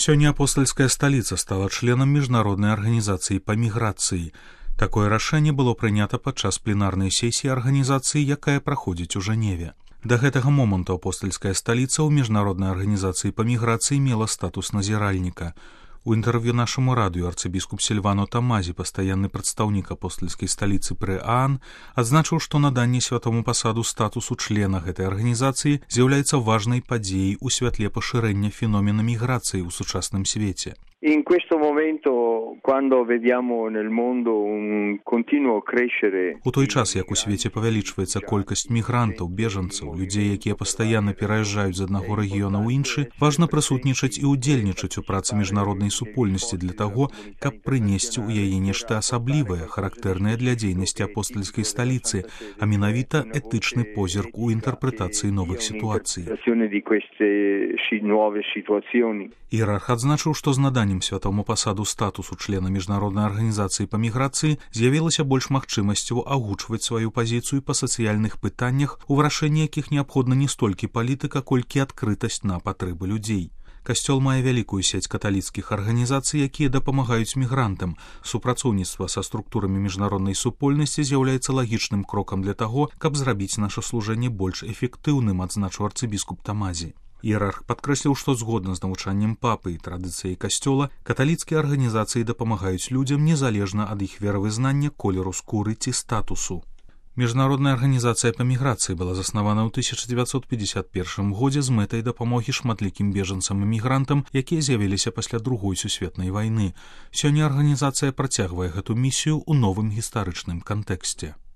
Сёння апостольская столица стала членам міжнароднай арганізацыі па міграцыі. Такое рашэнне было прынята падчас пленарнай сесіі арганізацыі, якая праходзіць у Жэневе. Да гэтага моманту апостольская сталіца ў міжнароднай арганізацыі па міграцыі мела статус назіральніка. У інтэрв'ю нашаму радыё арцыбіскуп Сільвано Тамазі, пастаянны прадстаўнік апостольскай сталіцы пры ААН, адзначыў, што наданне святому пасаду статусу члена гэтай арганізацыі з'яўляецца важнай падзеяй у святле пашырэння феномена міграцыі ў сучасным свеце. In questo momento, quando vediamo nel mondo un continuo crescere... У той час, як у свеце павялічваецца колькасць мігрантаў, бежанцаў, людзей, якія пастаянна пераязджаюць з аднаго рэгіёна ў іншы, важна прысутнічаць і ўдзельнічаць у працы міжнароднай супольнасці для таго, каб прынесці ў яе нешта асаблівае, характэрнае для дзейнасці апостольскай сталіцы, а менавіта этычны позірк у інтэрпрэтацыі новых сітуацый. Іерарх адзначыў, што з наданнем святому пасаду статусу члена міжнароднай арганізацыі па міграцыі з'явілася больш магчымасцяў агучваць сваю пазіцыю па сацыяльных пытаннях, у вырашэнні якіх неабходна не столькі палітыка, колькі адкрытасць на патрэбы людзей. Касцёл мае вялікую сеть каталіцкіх арганізацый, якія дапамагаюць мігрантам. Супрацоўніцтва са структурамі міжнароднай супольнасці з'яўляецца лагічным крокам для таго, каб зрабіць наша служэнне больш эфектыўным, адзначыў арцыбіскуп Тамазі. Іерарх падкрэсліў, што згодна з навучаннем папы і традыцыяй касцёла, каталіцкія арганізацыі дапамагаюць людзям незалежна ад іх веравызнання, колеру скуры ці статусу. Міжнародная арганізацыя па міграцыі была заснавана ў 1951 годзе з мэтай дапамогі шматлікім бежанцам і мігрантам, якія з'явіліся пасля Другой сусветнай вайны. Сёння арганізацыя працягвае гэту місію ў новым гістарычным кантэксце.